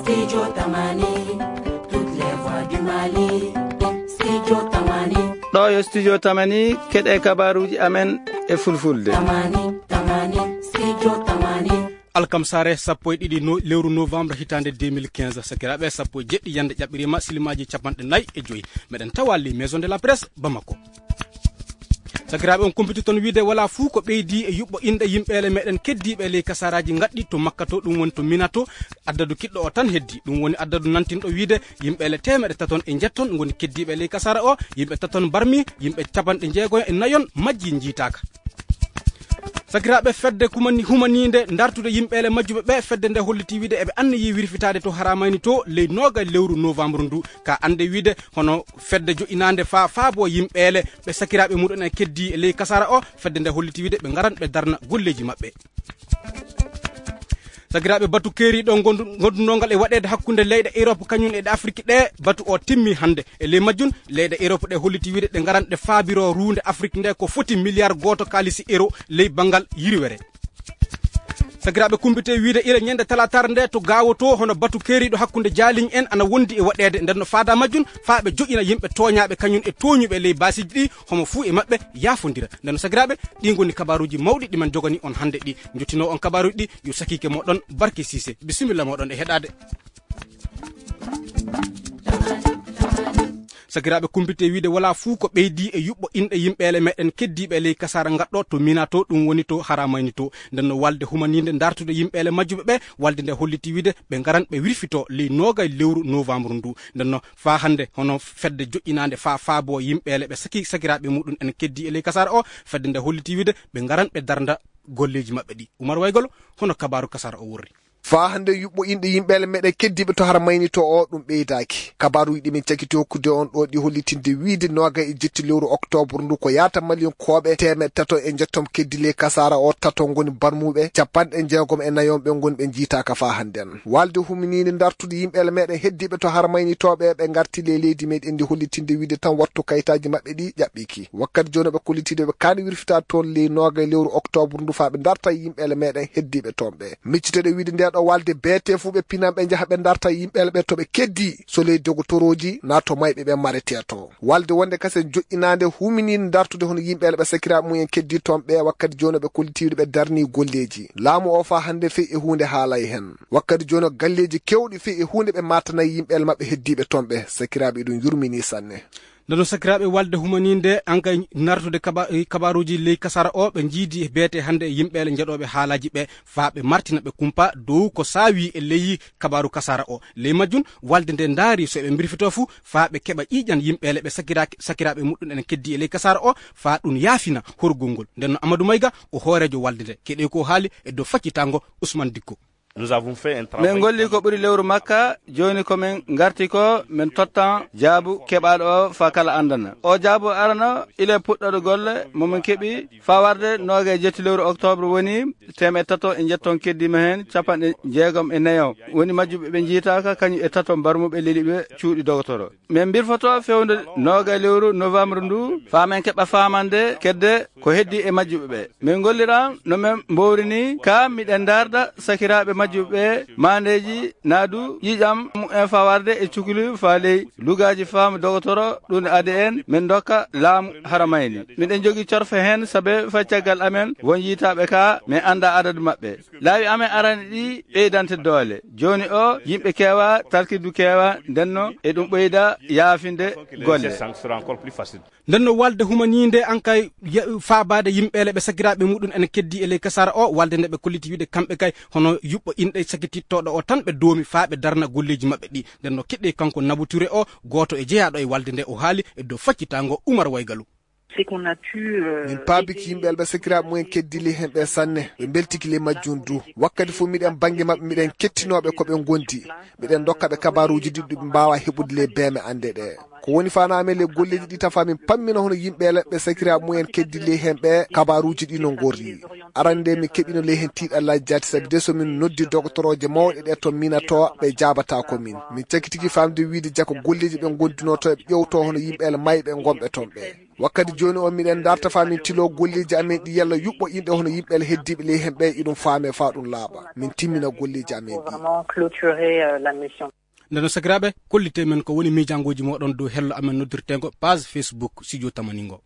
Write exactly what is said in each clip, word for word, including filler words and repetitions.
Studio Tamani, toutes les voix du Mali. Studio Tamani. Ɗo yo Studio Tamani, keɗe kabaruji amen e fulfulde. Tamani, Tamani, Studio Tamani. Alkamsare sappo e ɗiɗi no-, lewru novembre hitande deux mille quinze, sakiraɓe, sappo e jeɗɗi yande ƴaɓɓirima, silimaji capanɗe nayi e joyi. Meɗen tawa les maisons de la presse Bamako. Sakiraaɓe, on kumpiti toon wiide wala fuu ko ɓeydi e yuɓɓo inɗe yimɓeele meɗen keddiiɓe e ley kasaraji ngaɗɗi to Makka to, ɗum woni to Mina to. Addadu kiɗɗo o tan heddi, ɗum woni addadu nantinɗo wiide yimɓeele teemeɗe taton e njetton ngoni keddiiɓe e ley kasara o, yimɓe taton barmi, yimɓe capanɗe jeego e nayon majji njiitaaka. Sakiraaɓe, fedde kumani-, humaniinde dartude yimɓeele majjuɓe ɓe, fedde nde holliti wiide eɓe anniyi wirfitaade to Haramayni to ley nooga lewru novembre ndu. Ka annde wiide hono fedde joƴƴinaande faa faabo yimɓeele ɓe sakiraaɓe muɗum en keddi e ley kasara o, fedde nde holliti wiide ɓe ngaran ɓe darna golleeji maɓɓe. Sakiraaɓe, batu keeriiɗo ngondu-, ngondunongal e waɗeede hakkunde leyɗe Europe kañum e ɗe Afrique ɗe, batu o timmi hannde. E ley majjum, leyɗe Europe ɗe holliti wiide ɗe ngaran ɗe faabiro ruunde Afrique nde ko foti milliard gooto kaalisi euro ley banngal yirwere. Sakiraaɓe, kumpite wiide ira ñande talaataare nde to Gaawo to, hono batu keeriiɗo hakkunde jaaliñ en ana wondi e waɗeede. Nden no faada majjum, faa ɓe joƴƴina yimɓe tooñaaɓe kañum e tooñuɓe ley baasiiji ɗi, homo fuu e maɓɓe yaafondira. Nden no sakiraaɓe, ɗi ngoni kabaaruuji mawɗi ɗi men jogani on hannde ɗi. Njottinoo on kabaaruuji ɗi, yo sakiike mooɗon Barke Siise. Bisimilla mooɗon e heɗaade. Sakiraaɓe, kumpite wiide wala fuu ko ɓeydi e yuɓɓo inɗe yimɓeele meɗen keddiiɓe ley kasara ngaɗɗo to Mina to, ɗum woni to Haramayni to. Nden no walde humaniinde dartude yimɓeele majjuɓe ɓe, walde nde holliti wiide ɓe ngaran ɓe wirfito ley noogay lewru novembre ndu. Nden no faa hannde hono fedde joƴƴinaande faa faabo yimɓeele ɓe saki sakiraaɓe muɗum en keddi e ley kasara o, fedde nde holliti wiide ɓe ngaran ɓe darnda golleeji maɓɓe ɗi. Umar Waygol, hono kabaaru kasara o worri. Faa hannde yuɓɓo inɗe yimɓeele meɗen keddiiɓe to Haramayni to o, ɗum ɓeydaaki. Kabaaruuji ɗi min cakiti hokkude on ɗo ɗi hollitinde wiide nooga e jetti lewru octobre ndu ko yaata Maliyankooɓe teemeɗɗe tato e njettom keddi ley kasara o, tato ngoni barmuɓe, capanɗe jeegom e nayon ɓe ngoni ɓe njiitaaka faa hannden. Walde huminiinde dartude yimɓeele meɗen heddiiɓe to Haramayni to ɓe, ɓe ngarti ley leydi meɗen ndi hollitinde wiide tan wattu kayitaaji maɓɓe ɗi ƴaɓɓiki. Wakkati jooni ɓe kollitiiɗo ɓe kaani wirfita toon ley nooga e lewru octobre ndu faa ɓe darta yimɓeele meɗen heddiiɓe toon ɓe. Micciteɗe wiide nde ɗo walde beete fuu ɓe pinan ɓe njaha ɓe darta yimɓeele ɓe to ɓe keddi, so ley dogotorooji naa to mayɓe ɓe marete to. Walde wonde kasen joƴƴinaande huminiinde dartude hono yimɓeele ɓe sakiraaɓe mum en keddi toon ɓe, wakkati jooni ɓe kollitiiɗo ɓe darni golleeji. Laamu o faa hannde fey e huunde haalay hen. Wakkati jooni galleeji kewɗi fey e huunde ɓe maatanayi yimɓeele maɓɓe heddiiɓe toon ɓe. Sakiraaɓe, ɗum yurminii sanne. Nden no sakiraaɓe, walde humaniinde ankay nartude kaba-, eh, kabaaruuji ley kasara o, ɓe njiidi beete hannde e yimɓeele njeɗooɓe haalaaji ɓe, faa ɓe martina ɓe kumpa dow ko saawi e ley kabaaru kasara o. Ley majjum, walde nde ndaari so eɓe mbirfitoo fu, faa ɓe keɓa ƴiiƴan yimɓeele ɓe sakiraaki-, sakiraaɓe muɗum en keddi e ley kasara o, faa ɗum yaafina horgol ngol. Nden no Amadou Mayga, o hooreejo walde nde. Keɗee ko haali e dow faccitango Ousmane Dikko. Nous avons fait un travail. Min ngolli ko ɓuri lewru makka, jooni ko min ngarti ko, min tottan jaabu keɓaaɗo o faa kala anndana. O jaabu arano, ila puɗɗoɗo golle, mo min keɓi, faa warde nooga e jetti lewru octobre woni teemeɗɗe tato e njetton keddiima heen, capanɗe jeegom e nayo. Woni majjuɓe ɓe njiitaaka, kañum e tato mbarmuɓe leliɓe cuuɗi dogotoro. Min mbirfoto fewndo nooga lewru novembre ndu, faa min keɓa faamande kedde ko heddi e majjuɓe ɓe. Min ngolliran no min mbowri ni, ka miɗen ndaarda sakiraaɓe majjuɓe ɓe, maandeeji naadu ƴiiƴam mumen faa warde e cukuli faa ley lugaaji faamu dogotoro, ɗum adi en min ndokka laamu Haramayni. Miɗen jogii corfe heen, sabe fay caggal amen won yiitaaɓe ka min anndaa adadu maɓɓe. Laawi amen arani ɗi ɓeydante doole. Jooni o, yimɓe keewa, tarkiddu keewa, ndenno e ɗum ɓeyda yaafinde golle. Nden no walde humaniinde ankay ya-, faabaade yimɓeele ɓe sakiraaɓe muɗum en keddi e ley kasara o, walde nde ɓe kolliti wiide kamɓe kay hono yuɓɓo inɗe sakitittooɗo o tan ɓe doomi faa ɓe darna golleeji maɓɓe ɗi. Nden no keɗɗee kanko Nabou Touré o, gooto e jeyaaɗo e walde nde, o haali e dow faccitango Umar Waygalu. C'est qu'on a pu, euh, min paabiki aider yimɓe alɓe sakiraaɓe mumen keddili heen ɓe sanne. Ɓe mbeltiki ley majjum du. Wakkati fof miɗen bannge maɓɓe, miɗen kettinooɓe ko ɓe ngondi. Miɗen ndokka ɓe kabaaruuji ɗi ɓe mbaawa heɓude ley beeme annde ɗe. Ko woni faanaa amen ley golleeji ɗi tafaa min pammina hono yimɓe leɓɓe sakiraaɓe mumen keddi ley heen ɓe kabaaruuji ɗi no ngorri. Arande nde min keɓino ley heen tiiɗallaaji jaati sabi de so min noddi dogotorooje mawɗe ɗe toon minato ɓe jaabataako min. Min cakitiki faamde wiide jaka golleeji ɓe ngondunooto eɓe ƴewto hono yimɓe le mayɓe ngonɓe toon ɓe. Wakkati jooni o miɗen darta faa min tiloo golleeji amen ɗi yalla yuɓɓo inɗe hono yimɓe le heddiiɓe ley heen ɓe iɗum faame faa ɗum laaɓa. Min timmina golleeji amen ɗi. Nde no sakiraaɓe, kollite men ko woni miijangooji mooɗon dow hello amen noddirteengo page Facebook Studio Tamani ngo.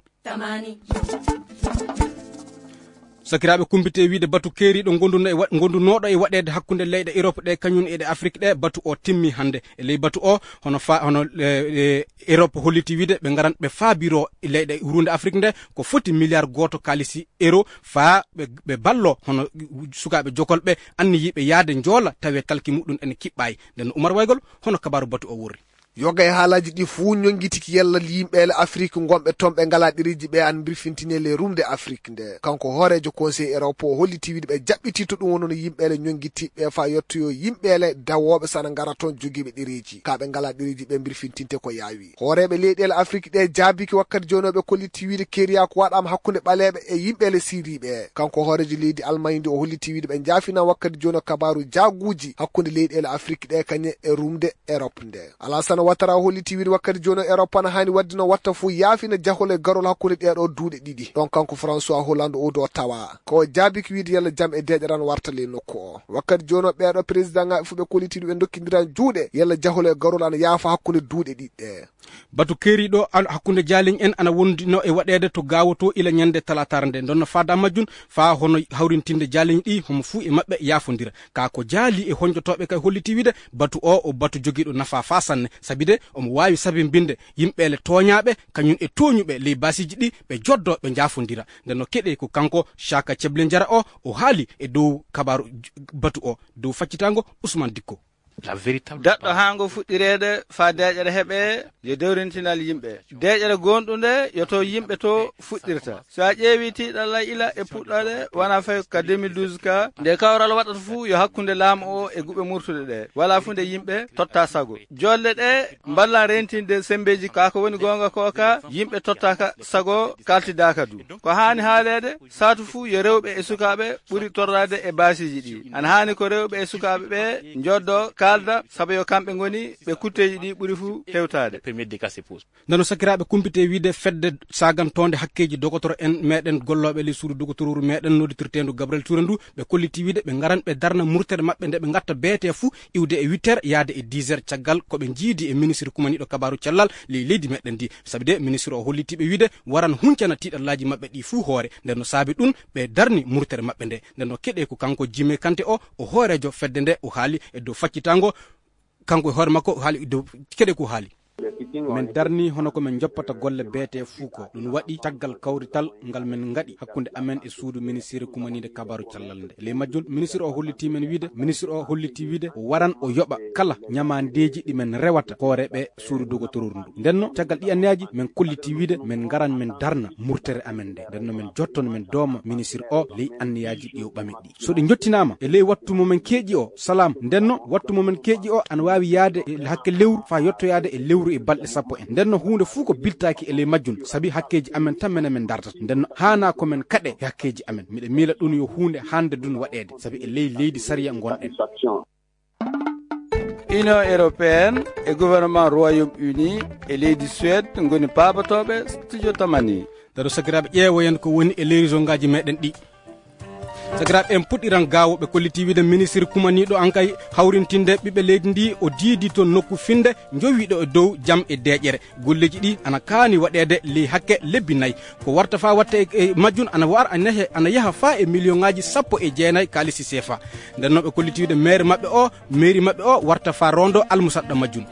Sakiraaɓe, kumpite wiide batu keeriiɗo ngonduno e wa- ngondunooɗo e waɗeede hakkunde leyɗe Europe ɗe kañum e ɗe Afrique ɗe, batu o timmi hannde. E ley batu o, hono fa hono e, e, Europe holliti wiide ɓe ngaran ɓe faabiro leyɗe huruunde Afrique nde ko foti milliard gooto kaalisi euro faa ɓe, ɓe ballo hono sukaaɓe jokol ɓe anniyiiɓe yahde njoola tawe kalki muɗum ene kiɓɓaay. Nden no Umar Waygol, hono kabaaru batu o worri. Yoga e haalaaji ɗi fuu ñonngitiki yalla yimɓe le Afrique ngonɓe toon ɓe ngalaa ɗereeji ɓe an mbirfintine le rumde Afrique nde. Kanko hooreejo Conseil Europe o holliti wiide ɓe jaɓɓitii to ɗum wonono yimɓe le ñonngitiiɓe faa yottoyo yimɓe le dawooɓe sana ngara toon jogiiɓe ɗereeji. Kaa ɓe ngalaa ɗereeji ɓe mbirfintinte ko yaawi. Hooreeɓe leyɗeele Afrik ɗe jaabiki wakkati jooni o ɓe kolliti wiide keeriyaaku waɗaama hakkunde ɓaleeɓe e yimɓe le Siriiɓe. Kanko hooreejo leydi Almaañ ndi o holliti wiide ɓe njaafina wakkati jooni o kabaaru jaaguuji hakkunde leyɗeele Afrik ɗe kañe e rumde Erop nde. Alaasana Watara o holliti wiide wakkati jooni o Erop ana haani waɗde no watta fof yaafina jahol e garol hakkunde ɗee ɗoo duuɗe ɗiɗi. Ɗoon kanko François Hollande o do tawa ko o jaabiki wiide yalla jam e deeƴere ana warta ley nokku o. Wakkati jooni o ɓee ɗoo présidentŋaaɓe fof ɓe kolliti ɗum ɓe ndokkindiran juuɗe yalla jahol e garol ana yaafa hakkunde duuɗe ɗiɗi ɗe. Batu keeriiɗo hakkunde jaaliñ en ana wondi no e waɗeede to Gaawo to ila ñande talaataare nde. Ndonna faada majjun faa hono hawrintinde jaaliñ ɗi homo fuu e maɓɓe yaafondira. Kaa ko jaali e honjotooɓe kay holliti wiide batu o o batu jogiiɗo nafaa faa sanne. Sabi de omo waawi sabimbinde yimɓe le tooñaaɓe kañum e tooñuɓe ley baasiiji ɗi ɓe joddoo ɓe njaafondira. Nde no keɗee ko kanko Caaka Ceble Njara o o haali e dow kabaaru batu o dow faccitaango Usmaan Dikko. Daɗɗo haa ngo fuɗɗireede faa deeƴere heɓee yo dewrintinal yimɓe. Deeƴere goonɗunde yo to yimɓe to fuɗɗirta. So a ƴeewii tiiɗalla ila e puɗɗooɗe wonaa fay ka deux mille douze ka nde kawral waɗata fuu yo hakkunde laamu o e guɓe murtuɗe ɗe. Walaa fuu nde yimɓe totta sago. Joɗle ɗe mballan reentinde semmbeeji kaa ko woni goonga koo ka yimɓe tottaaka sago kaltidaaka du. Ko haani haaleede saatu fuu yo rewɓe e sukaaɓe ɓuri torraade e baasiiji ɗi. Ana haani ko rewɓe e sukaaɓe ɓe njoddo kaalda sabu yo kamɓe ngoni ɓe kutteeji ɗi ɓuri fuu hewtaade. Ndeno sakiraaɓe kumpite wiide fedde sagantoonde hakkeeji dogotoro en meɗen gollooɓe ley suudu dogotoruru meɗen nodditirteendu Gabriel Touré ndu ɓe kolliti wiide ɓe ngaran ɓe darna murtere maɓɓe nde ɓe ngatta beete fuu iwde e huit heures yaade e dix heures caggal ko ɓe njiidi e ministre kumaniiɗo kabaaru cellal ley leydi meɗen ndi. Sabi de ministre o holliti ɓe wiide waran huncana tiiɗallaaji maɓɓe ɗi fuu hoore. Nden no saabi ɗum ɓe darni murtere maɓɓe nde. Nden no keɗee ko kanko Jime Kante o o hooreejo fedde nde o haali e dow faccitaango. Kanko e hoore makko o haali e dow keɗee ko haali. Min darni hono ko min njoppata golle beete fuu ko ɗum waɗi caggal kawrital ngal min ngaɗi hakkunde amen e suudu ministiri kumaniinde kabaaru cellal nde. Ley majjum ministiri o hollitii men wiide ministiri o hollitii wiide o waran o yoɓa kala ñamaandeeji ɗi min rewata hooreeɓe suudu dogotoruru ndu. Ndenno caggal ɗi anniyaaji min kollitii wiide min ngaran min darna murtere amen nde. Ndenno min jottono min dooma ministiri o ley anniyaaji ɗi o ɓami ɗi. So ɗi njottinaama e ley wattu mo men keeƴi o salam ndenno wattu mo men keeƴi o ana waawi yahde e hakke lewru faa yottoyaade e lewru e balɗe sappo en. Ndenno huunde fuu ko biltaaki e ley majjum sabi hakkeeji amen tan menen men ndartata. Ndenno haanaa ko men kaɗe e hakkeeji amen. Miɗo miila ɗum yo huunde hannde dun waɗeede sabi e ley leydi sariya ngonɗen. Union européenne e gouvernement Royaume Uni e leydi Suède ngoni paabotooɓe studio Tamani. Daro sakiraaɓe ƴeewoyen ko woni e leyri zongaaji meɗen ɗi. Sakiraaɓe en puɗɗiran gaawo ɓe kolliti wiide ministiri kumaniiɗo an kay hawrintinde ɓiɓɓe leydi ndi o diidi toon nokku finde njowiiɗo e dow jam e deeƴere. Golleeji ɗi ana kaani waɗeede ley hakke lebbi nayi. Ko warta faa watta e majjun ana war ana yaha faa e miliyoŋaaji sappo e jeenayi kaalisi seefa. Nden noon ɓe kolliti wiide meere maɓɓe o meeri maɓɓe o warta faa roondo almusaɗɗa majjun.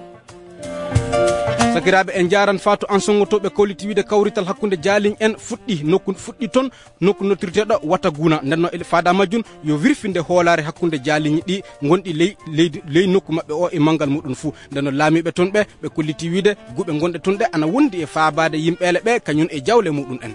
Sakiraaɓe en njaaran faa to an sonngo to ɓe kolliti wiide kawrital hakkunde jaaliñ en fuɗɗi nokku fuɗɗi toon nokku nottirteeɗo wata guuna. Nden noon faada majjun yo wirfinde hoolaare hakkunde jaaliñi ɗi ngonɗi ley leydi ley nokku maɓɓe o e manngal muɗum fuu. Nden noon laamiiɓe toon ɓe ɓe kolliti wiide guɓe ngonɗe toon ɗe ana wondi e faabaade yimɓeele ɓe kañum e jawle muɗum en.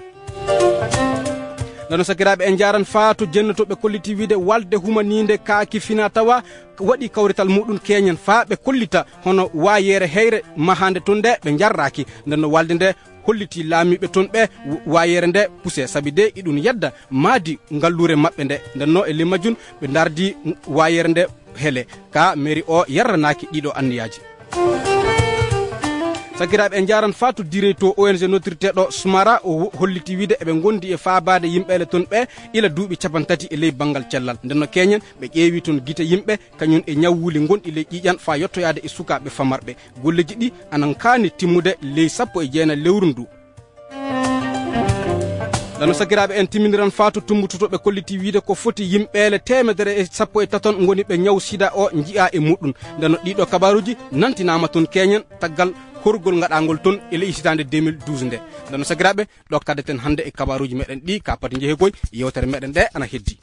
Ndeno sakiraaɓe, en njaaran faa to jennotooɓe kolliti wiide walde humaniinde kaaki fina tawa waɗi kawrital muɗum keñen faa ɓe kollita hono waayeere heyre mahaande toon nde ɓe njarraaki. Ndeno walde nde holliti laamiiɓe toon ɓe waayeere nde puse, sabi de iɗum yedda maadi ngalluure maɓɓe nde. Ndeno e ley majjum ɓe ndardi waayeere nde hele. Ka mairie o yarranaaki ɗiɗo anniyaaji. Sakiraaɓe, en njaaran faa to direy to O N G noddirteeɗo Smara, o holliti wiide eɓe ngondi e faabaade yimɓeele toon ɓe ila duuɓi capantati e ley banngal cellal. Ndeno keñen ɓe ƴeewi toon gite yimɓe kañum e ñawwuuli ngonɗi ley ƴiiƴan faa yottoyaade e sukaaɓe famarɓe. Golleji ɗi anan kaani timmude ley sappo e jeenayi lewru ndu. Ndeno sakiraaɓe, en timmindiran faa to tummbutotooɓe kolliti wiide ko foti yimɓeele teemedere e sappo e taton ngoni ɓe ñaw sida o njiyaa e muɗum. Ndeno ɗiɗo kabaaruuji nantinaama toon keñen taggal horgol ngaɗaangol toon e ley hitaande deux mille douze nde. Ndeno sakiraaɓe, ɗo kaddeten hannde e kabaaruuji meɗen ɗi ka pati njehe koy yewtere meɗen ɗe ana heddi.